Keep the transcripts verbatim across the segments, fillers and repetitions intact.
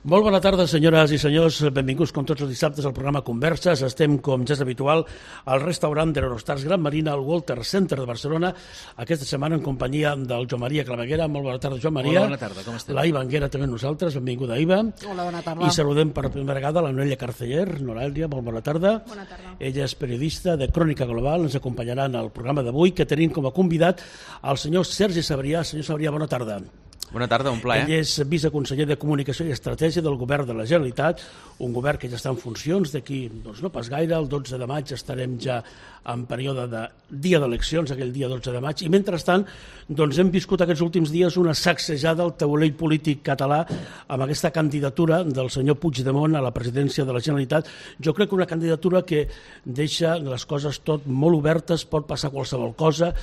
Molt bona tarda, senyores i senyors. Benvinguts, com tots els dissabtes, al programa Converses. Estem, com ja és habitual, al restaurant de l'Eurostars Gran Marina, al Walter Center de Barcelona, aquesta setmana en companyia del Joan Maria Claveguera. Molt bona tarda, Joan Maria. Hola, bona tarda, com estem? La Iva Anguera també amb nosaltres. Benvinguda, Iva. Hola, bona tarda. I saludem per primera vegada la Noelia Carceller. Noelia, molt bona tarda. Bona tarda. Ella és periodista de Crònica Global. Ens acompanyarà en el programa d'avui, que tenim com a convidat el senyor Sergi Sabrià. Senyor Sabrià, bona tarda. Bona tarda, un plaer. Ell és viceconseller de Comunicació i Estratègia del Govern de la Generalitat, un govern que ja està en funcions d'aquí, doncs no pas gaire, el dotze de maig estarem ja en període de dia d'eleccions, aquell dia dotze de maig, i mentrestant doncs hem viscut aquests últims dies una sacsejada al taulell polític català amb aquesta candidatura del senyor Puigdemont a la presidència de la Generalitat. Jo crec que una candidatura que deixa les coses tot molt obertes, pot passar qualsevol cosa.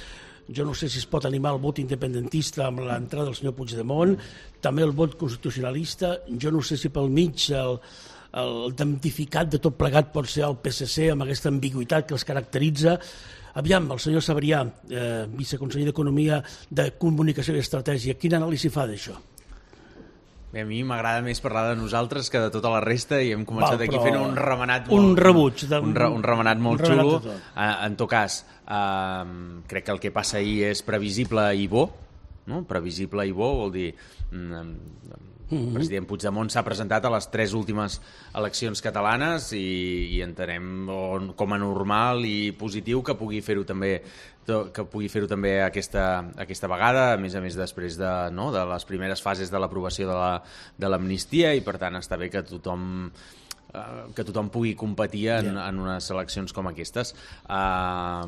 Jo no sé si es pot animar el vot independentista amb l'entrada del senyor Puigdemont, també el vot constitucionalista. Jo no sé si pel mig el, el damnificat de tot plegat pot ser el P S C amb aquesta ambigüitat que els caracteritza. Aviam, el senyor Sabrià, eh, viceconseller d'Economia, de Comunicació i Estratègia, quina anàlisi fa d'això? Bé, a mi m'agrada més parlar de nosaltres que de tota la resta i hem començat Val, aquí fent un remenat molt, un rebuig de, un, re, un remenat molt un remenat xulo. Uh, en tot cas, uh, crec que el que passa ahir és previsible i bo, no? Previsible i bo vol dir... Um, el president Puigdemont s'ha presentat a les tres últimes eleccions catalanes i, i entenem on, com a normal i positiu que pugui fer-ho també que pugui fer-ho també aquesta, aquesta vegada, a més a més després de, no, de les primeres fases de l'aprovació de la, de l'amnistia, i per tant està bé que tothom que tothom pugui competir en, yeah. en unes eleccions com aquestes. Uh,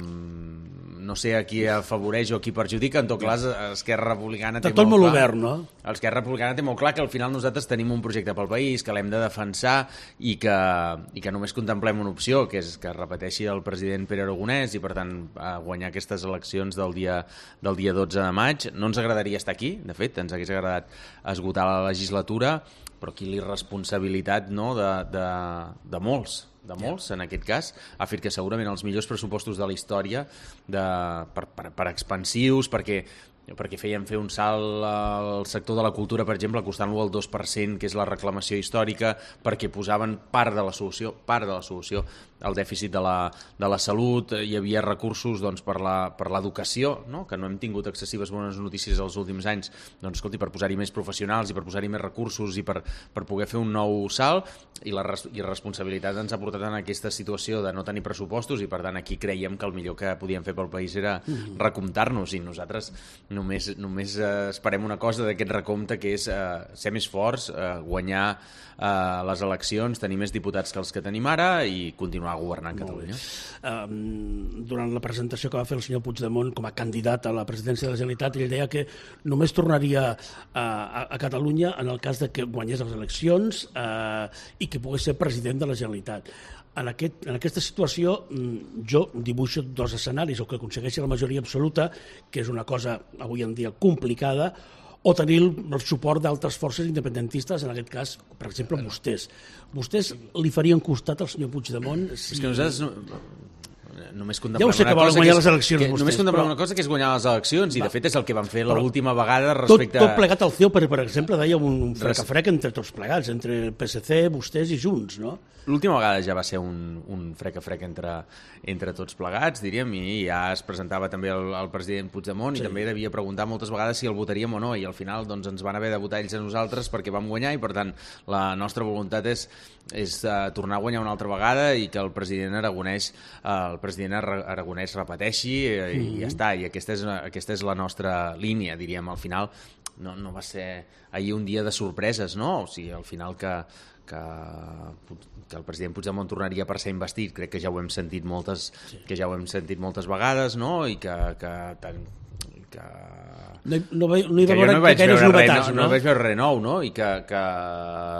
no sé a qui afavoreix o a qui perjudica, en tot cas Esquerra Republicana té tot molt, molt clar, obert, no? Esquerra Republicana té molt clar que al final nosaltres tenim un projecte pel país, que l'hem de defensar i que, i que només contemplem una opció, que és que repeteixi el president Pere Aragonès i per tant guanyar aquestes eleccions del dia, del dia dotze de maig. No ens agradaria estar aquí, de fet, ens hagués agradat esgotar la legislatura, però aquí l'irresponsabilitat, no, de, de, de molts, de molts, en aquest cas, ha fet que segurament els millors pressupostos de la història de, per, per, per expansius, perquè perquè feien fer un salt al sector de la cultura, per exemple, costant-lo el dos per cent, que és la reclamació històrica, perquè posaven part de la solució, part de la solució al dèficit de la, de la salut. Hi havia recursos doncs, per la, per l'educació, no? Que no hem tingut excessives bones notícies els últims anys, doncs, escolti, per posar-hi més professionals i per posar-hi més recursos i per, per poder fer un nou salt, i la irresponsabilitat ens ha portat en aquesta situació de no tenir pressupostos, i per tant aquí creiem que el millor que podíem fer pel país era recomptar-nos, i nosaltres Només, només eh, esperem una cosa d'aquest recompte, que és eh, ser més forts, eh, guanyar eh, les eleccions, tenir més diputats que els que tenim ara i continuar governant Catalunya. Um, durant la presentació que va fer el senyor Puigdemont com a candidat a la presidència de la Generalitat, ell deia que només tornaria a, a, a Catalunya en el cas de que guanyés les eleccions eh, i que pogués ser president de la Generalitat. En, aquest, en aquesta situació jo dibuixo dos escenaris, o que aconsegueixi la majoria absoluta, que és una cosa avui en dia complicada, o tenir el, el suport d'altres forces independentistes, en aquest cas, per exemple, vostès. Vostès li farien costat al senyor Puigdemont? Si... És que nosaltres... No... Només contemplem ja ho sé que volen guanyar les eleccions que, vostès, només contemplem però... una cosa, que és guanyar les eleccions, i va, de fet és el que van fer però, l'última vegada respecte... Tot, tot plegat al C E O, per, per exemple, deia un frec-a-frec entre tots plegats, entre el P S C, vostès i Junts, no? L'última vegada ja va ser un, un frec-a-frec entre, entre tots plegats, diríem, i ja es presentava també el, el president Puigdemont, sí. I també devia preguntar moltes vegades si el votaríem o no, i al final doncs, ens van haver de votar ells a nosaltres perquè vam guanyar, i per tant la nostra voluntat és, és uh, tornar a guanyar una altra vegada i que el president Aragonès, uh, el president Aragonès repeteixi, uh, mm-hmm. i ja està, i aquesta és, aquesta és la nostra línia, diríem. Al final no, no va ser ahir un dia de sorpreses, no? O sigui, al final que Que, que el president Puigdemont tornaria per ser investit, crec que ja ho hem sentit moltes, sí. que ja ho hem sentit moltes vegades, no? I que, que, que no, no, no hi va veure no gaires novetats, no? No, no vaig veure res nou, no? I que, que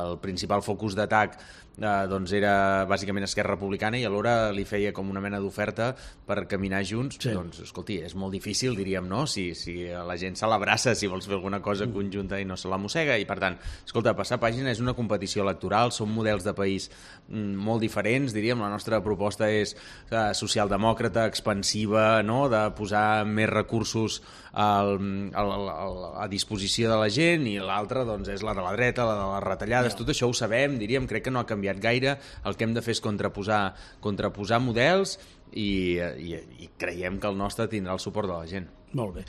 el principal focus d'atac eh, doncs era bàsicament Esquerra Republicana, i alhora li feia com una mena d'oferta per caminar junts. Sí. Doncs, escolti, és molt difícil, diríem, no? Si, si la gent se l'abraça, si vols fer alguna cosa mm. conjunta i no se la mossega, i per tant, escolta, passar pàgina és una competició electoral, són models de país mm, molt diferents, diríem. La nostra proposta és eh, socialdemòcrata, expansiva, no? De posar més recursos al, a, a, a disposició de la gent, i l'altra doncs, és la de la dreta, la de les retallades, tot això ho sabem, diríem, crec que no ha canviat gaire, el que hem de fer és contraposar, contraposar models i, i, i creiem que el nostre tindrà el suport de la gent. Molt bé.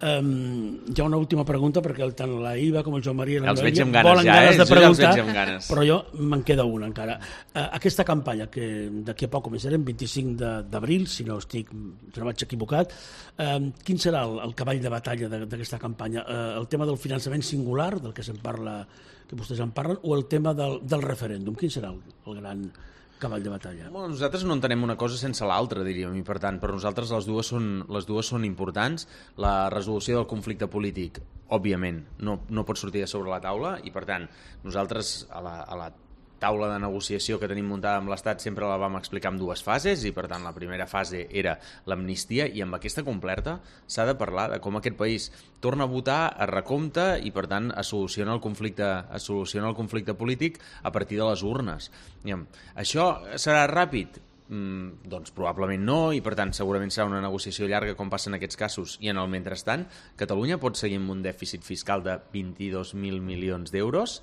Um, hi ha una última pregunta, perquè tant la Iva com el Joan Maria els veig amb ganes volen ja, ganes eh? de preguntar, ja ganes. Però jo me'n queda una encara. Uh, aquesta campanya, que d'aquí a poc començarem, vint-i-cinc d'abril, si no estic, si no vaig equivocat, uh, quin serà el, el cavall de batalla d'aquesta campanya? Uh, el tema del finançament singular, del que se'n parla, que vostès en parlen, o el tema del, del referèndum? Quin serà el, el gran cavall de batalla? Bueno, nosaltres no entenem una cosa sense l'altra, diríem, i per tant, per nosaltres les dues són, les dues són importants. La resolució del conflicte polític, òbviament, no, no pot sortir de sobre la taula, i per tant, nosaltres a la, a la taula de negociació que tenim muntada amb l'Estat sempre la vam explicar en dues fases, i per tant la primera fase era l'amnistia, i amb aquesta completa s'ha de parlar de com aquest país torna a votar, a recompte, i per tant es soluciona el conflicte, es soluciona el conflicte polític a partir de les urnes. Això serà ràpid? Mm, doncs probablement no, i per tant segurament serà una negociació llarga com passa en aquests casos, i en el mentrestant Catalunya pot seguir amb un dèficit fiscal de vint-i-dos mil milions d'euros?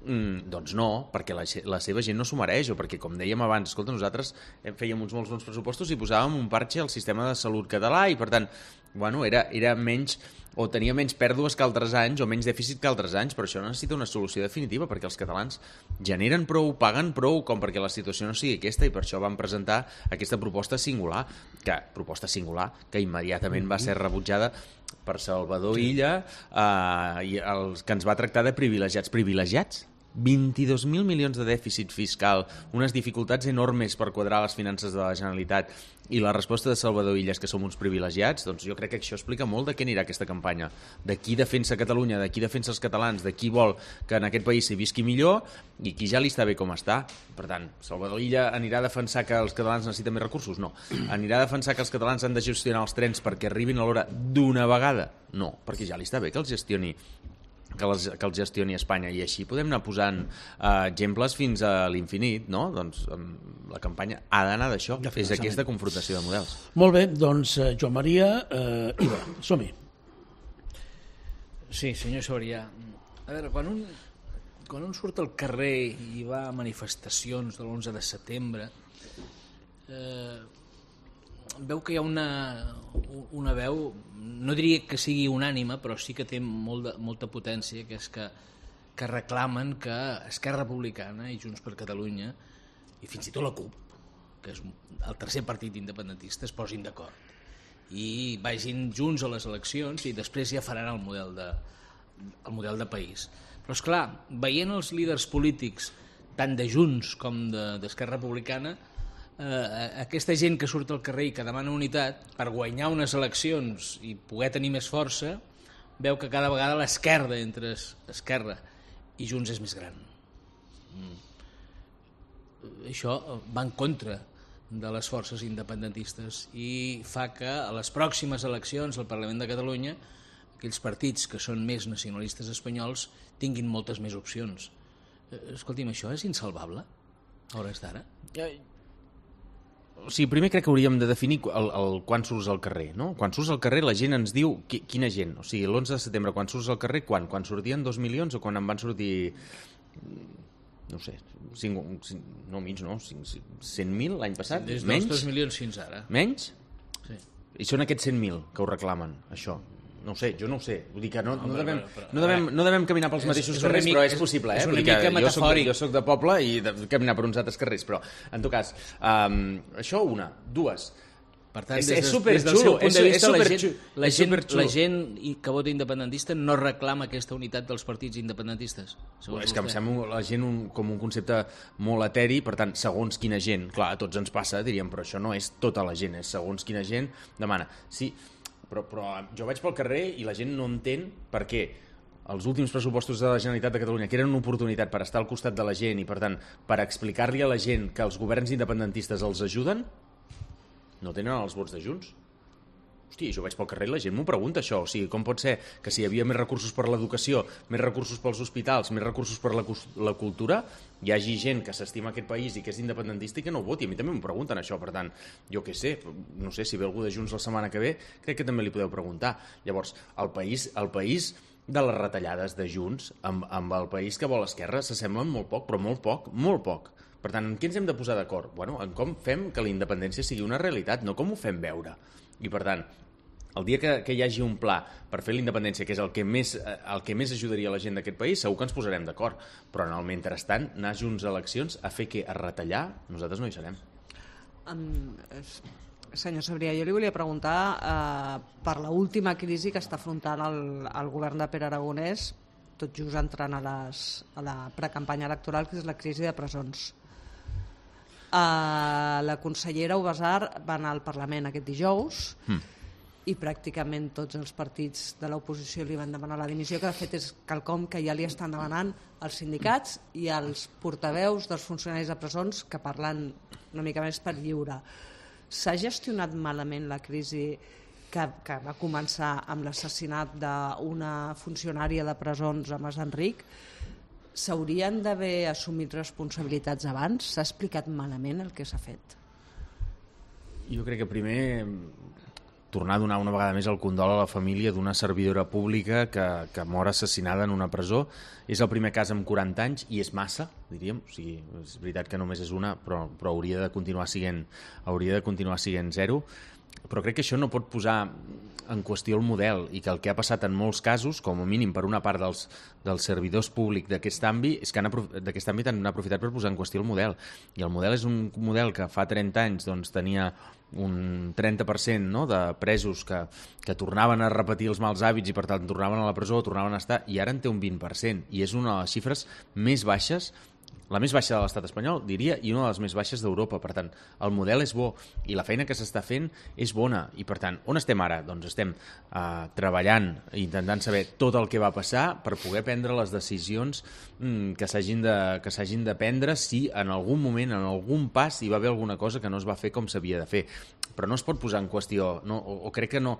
Mm, doncs no, perquè la, la seva gent no s'ho mereix, o perquè, com dèiem abans, escolta, nosaltres fèiem uns molts bons pressupostos i posàvem un parche al sistema de salut català, i per tant, bueno, era, era menys, o tenia menys pèrdues que altres anys, o menys dèficit que altres anys, però això necessita una solució definitiva, perquè els catalans generen prou, paguen prou, com perquè la situació no sigui aquesta, i per això vam presentar aquesta proposta singular, que proposta singular, que immediatament va ser rebutjada per Salvador Illa, eh, i els que ens va tractar de privilegiats. Privilegiats? vint-i-dos mil milions de dèficit fiscal, unes dificultats enormes per quadrar les finances de la Generalitat, i la resposta de Salvador Illa és que som uns privilegiats. Doncs jo crec que això explica molt de què anirà aquesta campanya, de qui defensa Catalunya, de qui defensa els catalans, de qui vol que en aquest país s'hi visqui millor i qui ja li està bé com està. Per tant, Salvador Illa anirà a defensar que els catalans necessiten més recursos? No. Anirà a defensar que els catalans han de gestionar els trens perquè arribin a l'hora d'una vegada? No, perquè ja li està bé que els gestioni que els, que els gestioni Espanya, i així podem anar posant uh, exemples fins a l'infinit, no? Doncs um, la campanya ha d'anar d'això, és aquesta confrontació de models. Molt bé, doncs uh, Joan Maria, uh, Iva, som-hi. Sí, senyor Soria, a veure, quan un, quan un surt al carrer i va a manifestacions de l'onze de setembre, eh, veu que hi ha una, una veu, no diria que sigui unànime, però sí que té molt de, molta potència, que és que, que reclamen que Esquerra Republicana i Junts per Catalunya, i fins i tot la CUP, que és el tercer partit independentista, es posin d'acord i vagin junts a les eleccions i després ja faran el model de, el model de país. Però és clar, veient els líders polítics tant de Junts com d'Esquerra Republicana, Eh, aquesta gent que surt al carrer i que demana unitat per guanyar unes eleccions i poder tenir més força, veu que cada vegada l'esquerda entre Esquerra i Junts és més gran. Mm. Això va en contra de les forces independentistes i fa que a les pròximes eleccions al Parlament de Catalunya aquells partits que són més nacionalistes espanyols tinguin moltes més opcions. Eh, escolti'm, això és insalvable a hores d'ara? Ja... O sigui, primer crec que hauríem de definir el, el quan surts al carrer, no? Quan surts al carrer la gent ens diu qui, quina gent. O sigui, l'onze de setembre, quan surts al carrer, quan? Quan sortien dos milions o quan en van sortir, no sé, cinc, cinc, no mig, no, cent mil l'any passat? Des dels dos milions fins ara. Menys? Sí. I són aquests cent mil que ho reclamen, això. No ho sé, jo no ho sé. Vull dir que no, no, no, devem, però, però, no, devem, no devem caminar pels mateixos és carrers, mica, però és possible, eh? És una Vull mica que metafòric. Jo soc, jo soc de poble i de caminar per uns altres carrers, però, en tot cas, um, això una. Dues. Per tant, és, des, és des del seu punt és, de vista, és la, gent, la, gent, superxulo. la gent que vota independentista no reclama aquesta unitat dels partits independentistes. És que em sembla la gent un, com un concepte molt eteri, per tant, segons quina gent, clar, a tots ens passa, diríem, però això no és tota la gent, és segons quina gent demana. Sí, però, però jo vaig pel carrer i la gent no entén per què els últims pressupostos de la Generalitat de Catalunya, que eren una oportunitat per estar al costat de la gent i, per tant, per explicar-li a la gent que els governs independentistes els ajuden, no tenen els vots de Junts. Hosti, jo vaig pel carrer i la gent m'ho pregunta, això. O sigui, com pot ser que si hi havia més recursos per l'educació, més recursos pels hospitals, més recursos per la, la cultura, hi hagi gent que s'estima aquest país i que és independentista i que no ho voti? A mi també m'ho pregunten, això. Per tant, jo què sé, no sé, si ve algú de Junts la setmana que ve, crec que també li podeu preguntar. Llavors, el país, el país de les retallades de Junts amb, amb el país que vol Esquerra s'assemblen molt poc, però molt poc, molt poc. Per tant, en què ens hem de posar d'acord? Bueno, en com fem que la independència sigui una realitat, no com ho fem veure. I, per tant, el dia que, que hi hagi un pla per fer la independència, que és el que més, el que més ajudaria la gent d'aquest país, segur que ens posarem d'acord. Però en el mentrestant, anar junts a eleccions a fer què? A retallar? Nosaltres no hi serem. Um, senyor Sabrià, jo li volia preguntar uh, per l'última crisi que està afrontant el, el govern de Pere Aragonès, tot just entrant a, les, a la precampanya electoral, que és la crisi de presons. Uh, la consellera Ubasar va anar al Parlament aquest dijous mm. i pràcticament tots els partits de l'oposició li van demanar la dimissió, que de fet és quelcom que ja li estan demanant els sindicats i els portaveus dels funcionaris de presons, que parlen una mica més per lliure. S'ha gestionat malament la crisi que, que va començar amb l'assassinat d'una funcionària de presons a Mas Enric? S'haurien d'haver assumit responsabilitats abans? S'ha explicat malament el que s'ha fet? Jo crec que primer tornar a donar una vegada més el condol a la família d'una servidora pública que, que mor assassinada en una presó. És el primer cas en quaranta anys i és massa, diríem. O sigui, és veritat que només és una, però, però hauria de continuar siguent, hauria de continuar siguent zero. Però crec que això no pot posar en qüestió el model i que el que ha passat en molts casos, com a mínim per una part dels, dels servidors públics d'aquest àmbit, és que han, d'aquest àmbit han aprofitat per posar en qüestió el model. I el model és un model que fa trenta anys doncs, tenia un trenta per cent no, de presos que, que tornaven a repetir els mals hàbits i per tant tornaven a la presó, tornaven a estar, i ara en té un vint per cent. I és una de les xifres més baixes, la més baixa de l'estat espanyol, diria, i una de les més baixes d'Europa. Per tant, el model és bo i la feina que s'està fent és bona. I, per tant, on estem ara? Doncs estem uh, treballant, intentant saber tot el que va passar per poder prendre les decisions mm, que s'hagin de, que s'hagin de prendre si en algun moment, en algun pas, hi va haver alguna cosa que no es va fer com s'havia de fer. Però no es pot posar en qüestió, no, o, o crec que no...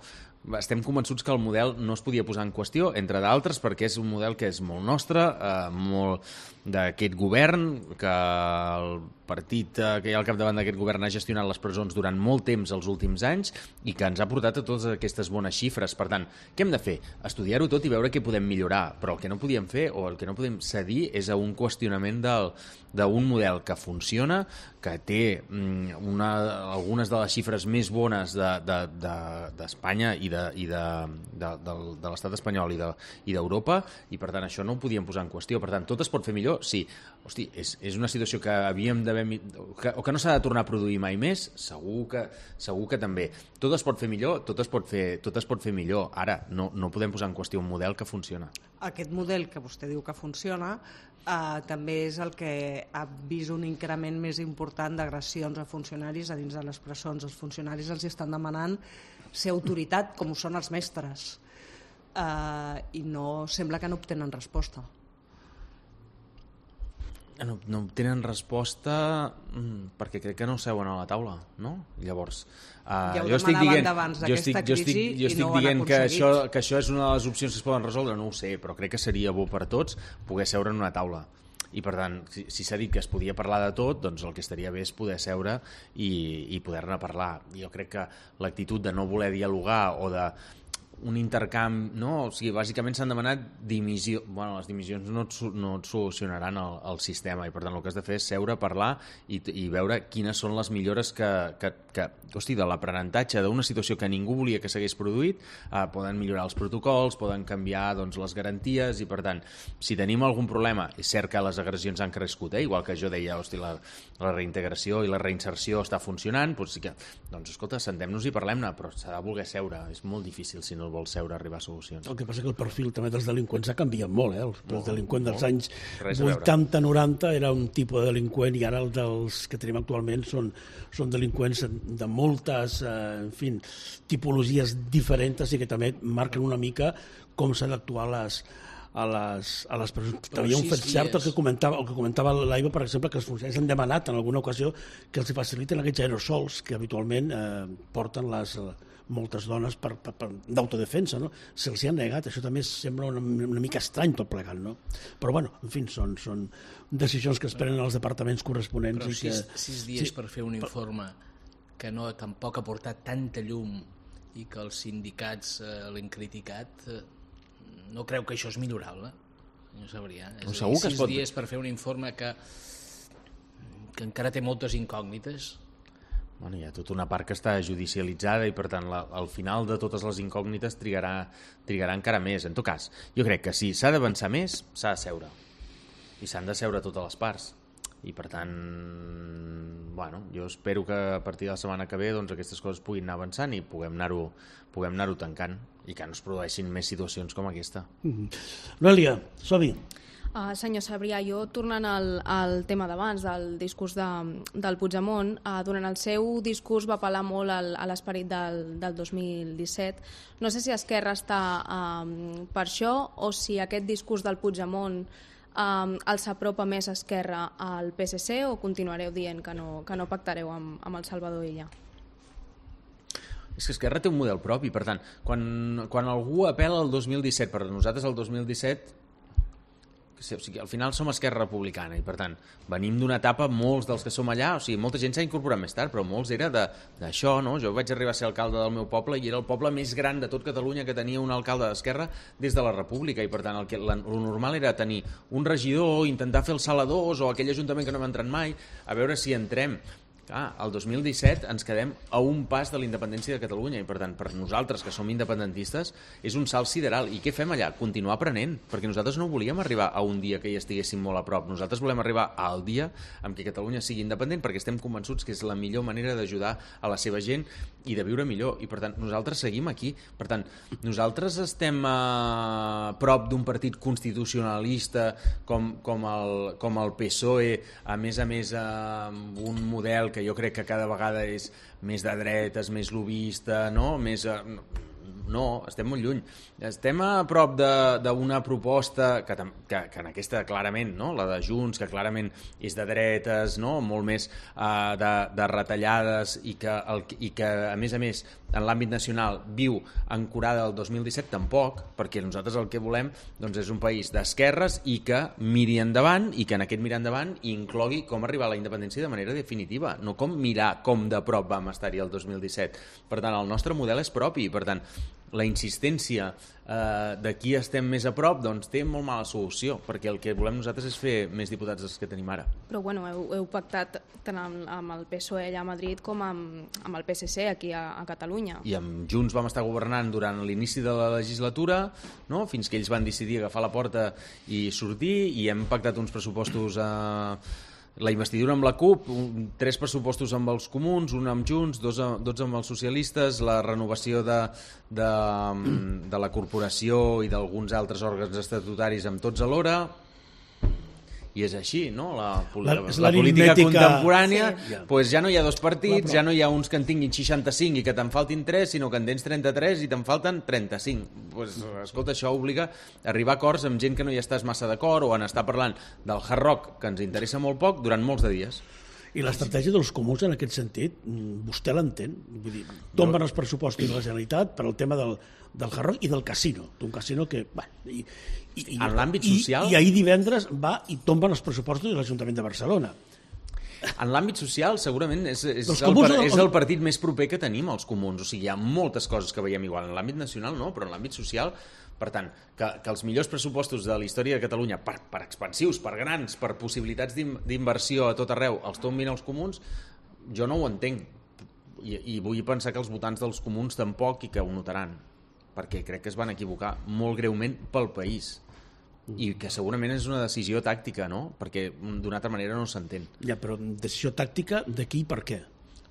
Estem convençuts que el model no es podia posar en qüestió, entre d'altres, perquè és un model que és molt nostre, eh, molt d'aquest govern, que el partit eh, que hi ha al capdavant d'aquest govern ha gestionat les presons durant molt temps els últims anys i que ens ha portat a totes aquestes bones xifres. Per tant, què hem de fer? Estudiar-ho tot i veure què podem millorar, però el que no podíem fer o el que no podem cedir és a un qüestionament del, d'un model que funciona, que té una, algunes de les xifres més bones d'Espanya de, de, de, i de, i de, de, de, de l'estat espanyol i d'Europa, de, i per tant això no ho podíem posar en qüestió. Per tant, tot es pot fer millor? Sí. Hosti, és, és una situació que havíem d'haver... Que, o que no s'ha de tornar a produir mai més? Segur que, segur que també. Tot es pot fer millor? Tot es pot fer, tot es pot fer millor. Ara, no, no podem posar en qüestió un model que funciona. Aquest model que vostè diu que funciona eh, també és el que ha vist un increment més important d'agressions a funcionaris a dins de les presons. Els funcionaris els estan demanant ser autoritat, com ho són els mestres, eh, i no sembla que no obtenen resposta. No, no tenen resposta perquè crec que no seuen a la taula, no? Llavors, uh, ja jo estic dient, jo estic, jo estic, jo estic no dient que això, que això és una de les opcions que es poden resoldre, no ho sé, però crec que seria bo per tots poder seure en una taula. I per tant, si, si s'ha dit que es podia parlar de tot, doncs el que estaria bé és poder seure i, i poder-ne parlar. Jo crec que l'actitud de no voler dialogar o de un intercanvi, no? O sigui, bàsicament s'han demanat dimissió. Bueno, les dimissions no et, no et solucionaran el, el sistema i per tant el que has de fer és seure, parlar i, i veure quines són les millores que, que, que hosti, de l'aprenentatge d'una situació que ningú volia que s'hagués produït, eh, poden millorar els protocols, poden canviar doncs, les garanties i per tant, si tenim algun problema, és cert que les agressions han crescut, eh? Igual que jo deia, hosti, la, la reintegració i la reinserció està funcionant, doncs sí que, doncs escolta, sentem-nos i parlem-ne, però s'ha de voler seure, és molt difícil si no vol seure a arribar a solucions. El que passa que el perfil també dels delinqüents ha canviat molt, eh? El, el molt, delinqüent dels molt. anys Res vuitanta noranta era un tipus de delinqüent i ara el dels que tenim actualment són, són delinqüents de moltes eh, en fi, tipologies diferents i que també marquen una mica com s'ha d'actuar a les, a les, a les presons. Però Hi ha un sis fet cert el dies. que comentava, el que comentava l'Aiva, per exemple, que els funcionaris han demanat en alguna ocasió que els faciliten aquests aerosols que habitualment eh, porten les, moltes dones per, per, per, d'autodefensa, no? Se'ls hi han negat, això també sembla una, una mica estrany tot plegant, no? Però bueno, en fi, són, són decisions que es prenen als departaments corresponents. Però i sis, que, sis dies sí, per fer un informe que no tampoc ha portat tanta llum i que els sindicats eh, l'han criticat, eh, no creu que això és millorable? No sabria. És No, a dir, segur que es sis pot- dies per fer un informe que, que encara té moltes incògnites. Bueno, hi ha tota una part que està judicialitzada i per tant la, al final de totes les incògnites trigarà, trigarà encara més. En tot cas, jo crec que si s'ha d'avançar més, s'ha de seure i s'han de seure totes les parts i per tant, bueno, jo espero que a partir de la setmana que ve doncs, aquestes coses puguin anar avançant i puguem anar-ho puguem anar-ho tancant i que no es produeixin més situacions com aquesta. Mm-hmm. Noelia, som-hi. Uh, senyor Sabrià, jo tornant al, al tema d'abans, del discurs de, del Puigdemont, uh, durant el seu discurs va apel·lar molt al, a l'esperit del, del dos mil disset. No sé si Esquerra està um, per això o si aquest discurs del Puigdemont um, els apropa més Esquerra al P S C o continuareu dient que no, que no pactareu amb, amb el Salvador Illa? És que Esquerra té un model propi, per tant, quan, quan algú apel·la al dos mil disset, per nosaltres el dos mil disset o sigui, al final som Esquerra Republicana i per tant venim d'una etapa, molts dels que som allà, o sigui, molta gent s'ha incorporat més tard, però molts era d'això, no? Jo vaig arribar a ser alcalde del meu poble i era el poble més gran de tot Catalunya que tenia un alcalde d'Esquerra des de la República i per tant el, que, el normal era tenir un regidor, intentar fer els saladors o aquell ajuntament que no hem entrat mai, a veure si entrem. Clar, el dos mil disset ens quedem a un pas de la independència de Catalunya i per tant per nosaltres que som independentistes és un salt sideral. I què fem allà? Continuar aprenent, perquè nosaltres no volíem arribar a un dia que hi estiguéssim molt a prop, nosaltres volem arribar al dia en què Catalunya sigui independent perquè estem convençuts que és la millor manera d'ajudar a la seva gent i de viure millor i per tant nosaltres seguim aquí. Per tant, nosaltres estem a prop d'un partit constitucionalista com, com, el, com el P S O E, a més a més amb un model que jo crec que cada vegada és més de dretes, més lobista, no? Més, no, estem molt lluny. Estem a prop d'una proposta que, que, que en aquesta clarament, no? La de Junts, que clarament és de dretes, no? Molt més uh, de, de retallades i que, el, i que a més a més en l'àmbit nacional viu ancorada al dos mil disset, tampoc, perquè nosaltres el que volem doncs, és un país d'esquerres i que miri endavant i que en aquest mirar endavant inclogui com arribar a la independència de manera definitiva, no com mirar com de prop vam estar-hi el dos mil disset. Per tant, el nostre model és propi, per tant, la insistència eh, de qui estem més a prop doncs té molt mala solució, perquè el que volem nosaltres és fer més diputats dels que tenim ara. Però bueno, heu, heu pactat tant amb, amb el P S O E allà a Madrid com amb, amb el P S C aquí a, a Catalunya. I amb Junts vam estar governant durant l'inici de la legislatura, no? Fins que ells van decidir agafar la porta i sortir, i hem pactat uns pressupostos eh, la investidura amb la CUP, un, tres pressupostos amb els comuns, un amb Junts, dos, dos amb els socialistes, la renovació de, de, de la corporació i d'alguns altres òrgans estatutaris amb tots alhora. I és així, no? La, la, la, la política contemporània, sí. Pues ja no hi ha dos partits, ja no hi ha uns que en tinguin seixanta-cinc i que te'n faltin tres, sinó que en tens trenta-tres i te'n falten trenta-cinc. Pues, escolta, això obliga a arribar a acords amb gent que no hi estàs massa d'acord o en estar parlant del hard rock, que ens interessa molt poc, durant molts de dies. I l'estratègia dels comuns en aquest sentit, vostè l'entén? Vull dir, tomben els pressupostos de la Generalitat per al tema del, del hard rock i del casino, d'un casino que... Bueno, i, i, en l'àmbit social... I, I ahir divendres va i tomben els pressupostos de l'Ajuntament de Barcelona. En l'àmbit social segurament és, és, el, comuns, és el partit més proper que tenim, els comuns. O sigui, hi ha moltes coses que veiem igual. En l'àmbit nacional no, però en l'àmbit social... Per tant, que, que els millors pressupostos de la història de Catalunya, per, per expansius, per grans, per possibilitats d'inversió a tot arreu, els tombin els comuns, jo no ho entenc. I, i vull pensar que els votants dels comuns tampoc i que ho notaran, perquè crec que es van equivocar molt greument pel país. I que segurament és una decisió tàctica, no? Perquè d'una altra manera no s'entén. Ja, però decisió tàctica de qui i per què?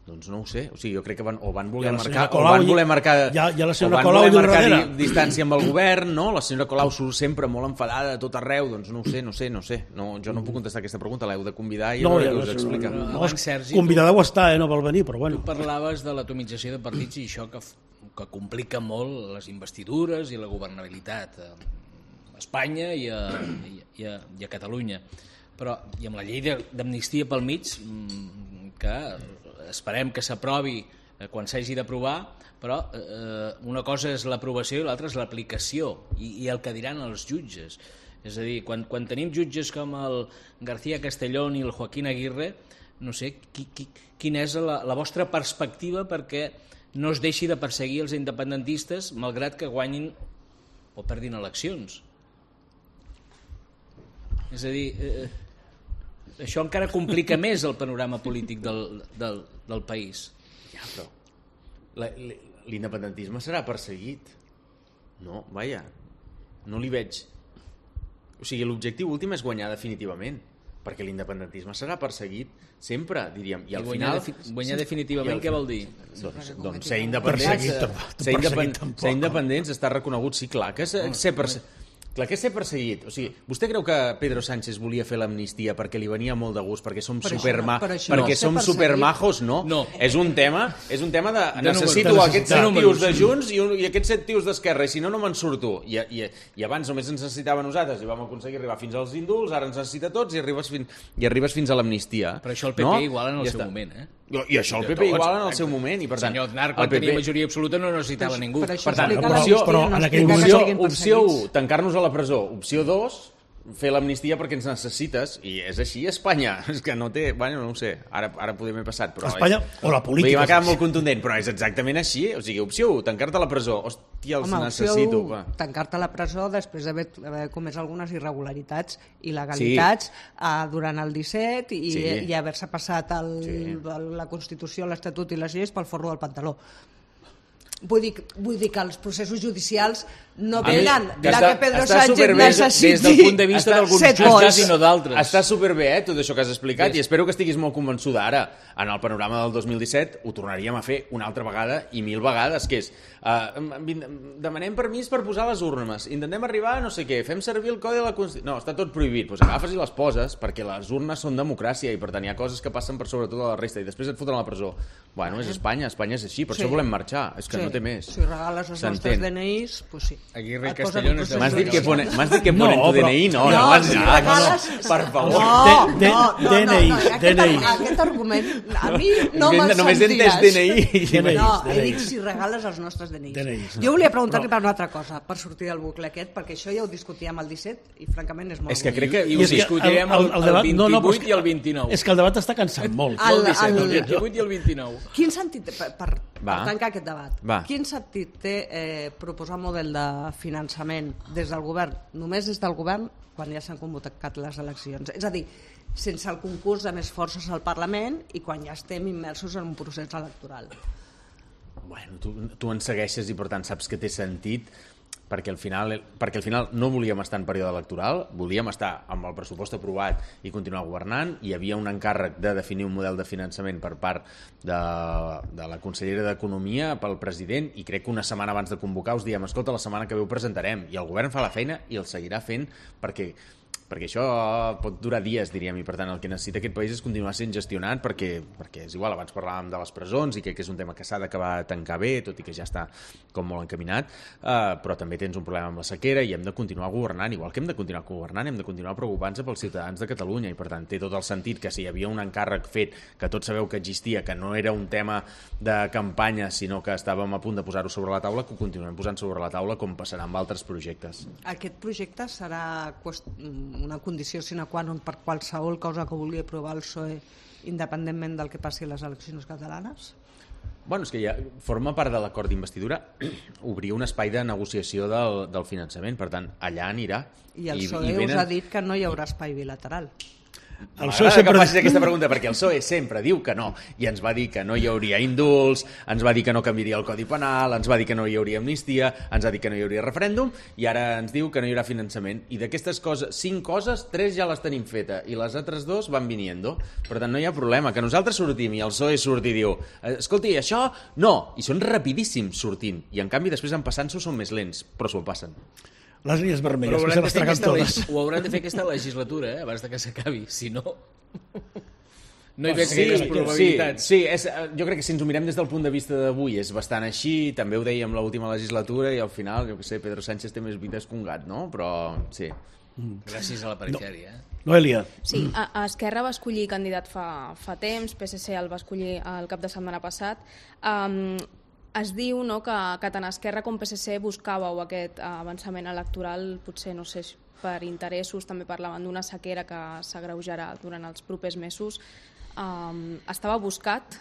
Doncs no ho sé, o sigui, jo crec que van, o van voler ja marcar, Colau, o van voler marcar, ja, ja la o van Colau voler marcar di, darrere. distància amb el govern, no? La senyora Colau surt sempre molt enfadada a tot arreu, doncs no ho sé, no sé, no sé. No, jo no puc contestar aquesta pregunta, l'heu de convidar i no, ja us explica. No, no, Abans, Sergi, convidada ho està, eh? No vol venir, però bueno. Tu parlaves de l'atomització de partits i això que, que complica molt les investidures i la governabilitat. Espanya i a, i a, i a Catalunya. Però, i amb la llei d'amnistia pel mig, que esperem que s'aprovi quan s'hagi d'aprovar, però eh, una cosa és l'aprovació i l'altra és l'aplicació i, i el que diran els jutges. És a dir, quan, quan tenim jutges com el García Castellón i el Joaquín Aguirre, no sé, qui, qui, quina és la, la vostra perspectiva perquè no es deixi de perseguir els independentistes malgrat que guanyin o perdin eleccions. És a dir, eh, això encara complica més el panorama polític del, del, del país. Ja, però l'independentisme serà perseguit. No, vaja, no li veig. O sigui, l'objectiu últim és guanyar definitivament, perquè l'independentisme serà perseguit sempre, diríem. I al I guanyar, final... defi guanyar definitivament, què vol dir? Doncs, doncs ser independents, ser, independ, ser independents, estar reconegut, sí, clar que és ser perseguit. Clar que és ser perseguit. O sigui, vostè creu que Pedro Sánchez volia fer l'amnistia perquè li venia molt de gust, perquè som però superma... això, això perquè no. som supermajos? No. No. És un tema, és un tema de... de necessito números, aquests de set números. tios de Junts i, un, i aquests set tios d'Esquerra, i si no, no me'n surto. I, i, I abans només ens necessitava nosaltres i vam aconseguir arribar fins als indults, ara ens necessita tots i arribes, fin, i arribes fins a l'amnistia. Però això el P P no? igual en el ja seu està. moment, eh? I això el P P igual en el seu moment. I per tant, el senyor Aznar, quan el P P... tenia majoria absoluta, no necessitava ningú. Per això Per tant, explica opció, la però història, no en aquell explica que opció, siguin opció perseguits. u, tancar-nos a la presó. Opció dos, fer l'amnistia perquè ens necessites, i és així a Espanya. És que no té... Bueno, no ho sé, ara, ara podem haver passat, però... Espanya és... o la política. M'ha quedat molt contundent, però és exactament així. O sigui, opció u, tancar-te a la presó. Hòstia, els Home, necessito. opció Va. u, tancar-te a la presó després d'haver comès algunes irregularitats i legalitats sí. uh, durant el disset i, Sí. i haver-se passat el, Sí. el, la Constitució, l'Estatut i les lleis pel forro del pantaló. Vull dir, vull dir que els processos judicials no A mi, tenen que la està- que Pedro està Sánchez superbé necessiti des del punt de vista Està- d'alguns set jutges vots. i no d'altres. Està superbé, eh, tot això que has explicat, i espero que estiguis molt convençuda ara. En el panorama del dos mil disset ho tornaríem a fer una altra vegada i mil vegades, que és eh, demanem permís per posar les urnes, intentem arribar a no sé què, fem servir el codi de la Constitució... No, està tot prohibit, doncs agafes i les poses, perquè les urnes són democràcia i per tant hi ha coses que passen per sobre tota la resta i després et foten a la presó. Bueno, és Espanya, Espanya és així, per Sí. això volem marxar, és que Sí. no té més. Si regales els nostres D N Is, doncs sí. Aguirre i Et posen Castellón un és de- procés M'has dit que judicial. pone, m'has dit que No, ponen tu però- D N I? No, no, No, abans si ja, regales... per favor. No, D- no, no, D N I, no, no, aquest, D N I. Aquest argument, a mi no me'l Inventa- només he entès sentiràs. D N I. D N I. No, he D N I. dit si regales els nostres D N Is. D N Is, no. Jo volia preguntar-li per una altra cosa, per sortir del bucle aquest, perquè això ja ho discutíem el disset i francament és molt És que bonic. crec que... I I ho és que discutirem el, el, debat- el no, no, però vint-i-vuit és i que- el vint-i-nou. És que el debat està cansant molt. No el El- disset, el el- vint-i-vuit i el vint-i-nou. Quin sentit té, per, per, Va. per tancar aquest debat, Va. quin sentit té eh, proposar un model de finançament des del govern, només des del govern, quan ja s'han convocat les eleccions? És a dir, sense el concurs de més forces al Parlament i quan ja estem immersos en un procés electoral. Bueno, tu, tu en segueixes i per tant saps que té sentit perquè al final perquè al final no volíem estar en període electoral, volíem estar amb el pressupost aprovat i continuar governant. Hi havia un encàrrec de definir un model de finançament per part de, de la consellera d'Economia pel president i crec que una setmana abans de convocar us diem, escolta, la setmana que ve ho presentarem, i el govern fa la feina i el seguirà fent perquè perquè això pot durar dies, diríem, i per tant el que necessita aquest país és continuar sent gestionat perquè, perquè és igual, abans parlàvem de les presons i crec que és un tema que s'ha d'acabar de tancar bé, tot i que ja està com molt encaminat, uh, però també tens un problema amb la sequera i hem de continuar governant, igual que hem de continuar governant, hem de continuar preocupant-se pels ciutadans de Catalunya i per tant té tot el sentit que si hi havia un encàrrec fet, que tots sabeu que existia, que no era un tema de campanya, sinó que estàvem a punt de posar-ho sobre la taula, que ho continuem posant sobre la taula com passarà amb altres projectes. Aquest projecte serà qüest... una condició sine qua non per qualsevol cosa que vulgui aprovar el P S O E independentment del que passi a les eleccions catalanes? Bueno, és que ja forma part de l'acord d'investidura obrir un espai de negociació del, del finançament, per tant, allà anirà. I el I, P S O E i venen... us ha dit que no hi haurà espai bilateral. El P S O E M'agrada sempre... que facis aquesta pregunta, perquè el P S O E sempre diu que no, i ens va dir que no hi hauria indults, ens va dir que no canviaria el Codi Penal, ens va dir que no hi hauria amnistia, ens va dir que no hi hauria referèndum, i ara ens diu que no hi haurà finançament. I d'aquestes coses, cinc coses, tres ja les tenim feta, i les altres dos van viniendo. Per tant, no hi ha problema, que nosaltres sortim i el P S O E surt i diu escolti, això no, i són rapidíssims sortint, i en canvi després en passant-s'ho són més lents, però s'ho passen. Les línies Però vermelles, que hauran se de les fer traguen aquesta totes. leg- ho hauran de fer aquesta legislatura, eh, abans de que s'acabi, si no... no hi veig sí, gaires probabilitats. Sí, sí és, jo crec que si ens ho mirem des del punt de vista d'avui és bastant així, també ho dèiem l'última legislatura i al final, jo què sé, Pedro Sánchez té més vides que un gat, no? Però sí. Gràcies a la perifèria. No. Noelia. Sí, a, a Esquerra va escollir candidat fa, fa temps, P S C el va escollir el cap de setmana passat. Um, es diu no, que, que tant Esquerra com P S C buscàveu aquest avançament electoral, potser, no sé, per interessos, també parlaven d'una sequera que s'agreujarà durant els propers mesos. Um, estava buscat?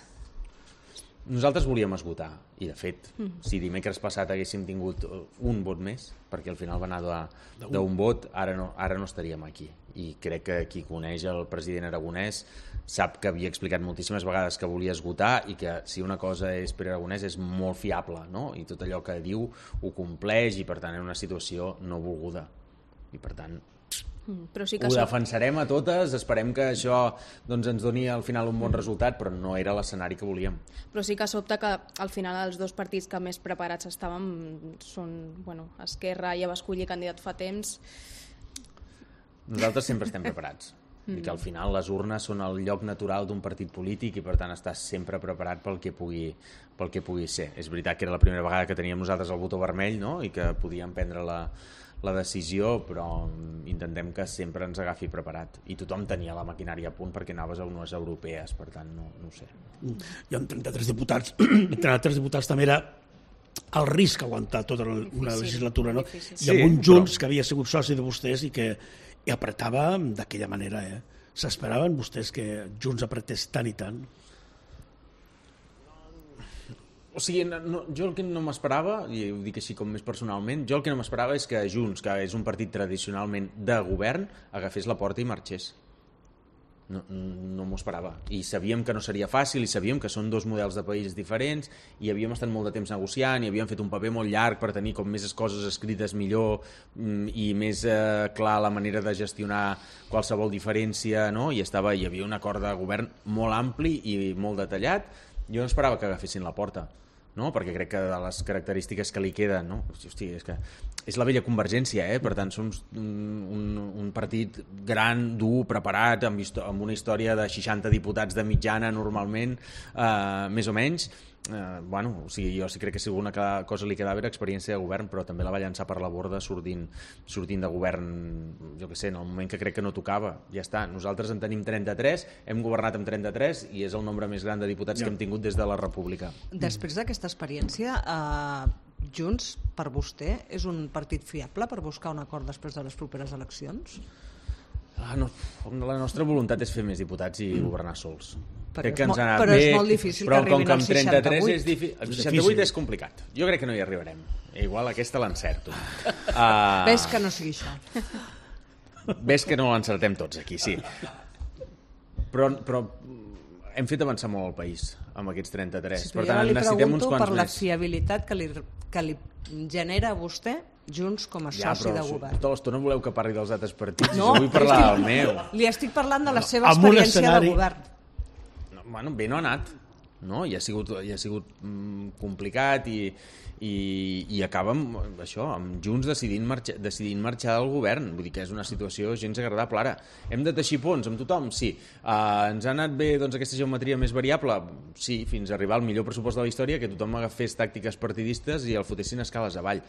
Nosaltres volíem esgotar, i de fet, mm. si dimecres passat haguéssim tingut un vot més, perquè al final va anar d'un vot, ara no, ara no estaríem aquí. I crec que qui coneix el president Aragonès sap que havia explicat moltíssimes vegades que volia esgotar i que si una cosa és Pere Aragonès és molt fiable, no? I tot allò que diu ho compleix i per tant és una situació no volguda. I per tant però sí que ho so... defensarem a totes, esperem que això doncs, ens doni al final un bon resultat, però no era l'escenari que volíem. Però sí que sobta que al final els dos partits que més preparats estàvem són, bueno, Esquerra ja va escollir candidat fa temps. Nosaltres sempre estem preparats. Mm. I que al final les urnes són el lloc natural d'un partit polític i per tant estàs sempre preparat pel que pugui, pel que pugui ser. És veritat que era la primera vegada que teníem nosaltres el botó vermell, no? I que podíem prendre la la decisió, però intentem que sempre ens agafi preparat. I tothom tenia la maquinària a punt perquè anaves a unes europees, per tant, no, no ho sé. I amb trenta-tres diputats, trenta-tres diputats també era el risc aguantar tota una difícil, legislatura, no? Difícil. I amb un Junts però... que havia sigut soci de vostès i que i apretava d'aquella manera, eh? S'esperaven vostès que Junts apretés tant i tant? O sigui, no, jo el que no m'esperava, i ho dic així com més personalment, jo el que no m'esperava és que Junts, que és un partit tradicionalment de govern, agafés la porta i marxés. No, no m'ho esperava. I sabíem que no seria fàcil, i sabíem que són dos models de país diferents, i havíem estat molt de temps negociant, i havíem fet un paper molt llarg per tenir com més coses escrites millor i més eh, clar la manera de gestionar qualsevol diferència, no? I estava, hi havia un acord de govern molt ampli i molt detallat. Jo no esperava que agafessin la porta, no? Perquè crec que de les característiques que li queden, no? Hosti, és que és la vella Convergència, eh? Per tant, som un, un, un partit gran, dur, preparat, amb, amb una història de seixanta diputats de mitjana normalment, eh, més o menys. Eh, bueno, o sigui, jo sí crec que si alguna cosa li quedava era experiència de govern, però també la va llançar per la borda sortint, sortint de govern, jo què sé, en el moment que crec que no tocava. Ja està, nosaltres en tenim trenta-tres, hem governat amb trenta-tres i és el nombre més gran de diputats ja. que hem tingut des de la República. Després d'aquesta experiència, eh, Junts, per vostè, és un partit fiable per buscar un acord després de les properes eleccions? Ah, no, la nostra voluntat és fer més diputats i governar sols. Però, és, mo però és molt difícil però que arribin als seixanta-vuit. És el seixanta-vuit és complicat. Jo crec que no hi arribarem. Igual aquesta l'encerto. Uh... Ves que no sigui això. Ves que no l'encertem tots aquí, sí. Però, però hem fet avançar molt el país amb aquests trenta-tres. Sí, per tant, necessitem uns quants per més. La fiabilitat que li, que li genera a vostè Junts com a ja, soci de govern. Tota l'estona voleu que parli dels altres partits no, i jo vull parlar estic, del meu. Li estic parlant de la seva no, experiència escenari... de govern. No, bueno, bé no ha anat. No? I ha sigut, i ha sigut mm, complicat i, i, i acaba amb això, amb Junts decidint marxar, decidint marxar del govern. Vull dir que és una situació gens agradable. Ara, hem de teixir ponts amb tothom? Sí. Uh, ens ha anat bé doncs, aquesta geometria més variable? Sí, fins a arribar al millor pressupost de la història, que tothom agafés tàctiques partidistes i el fotessin escales avall.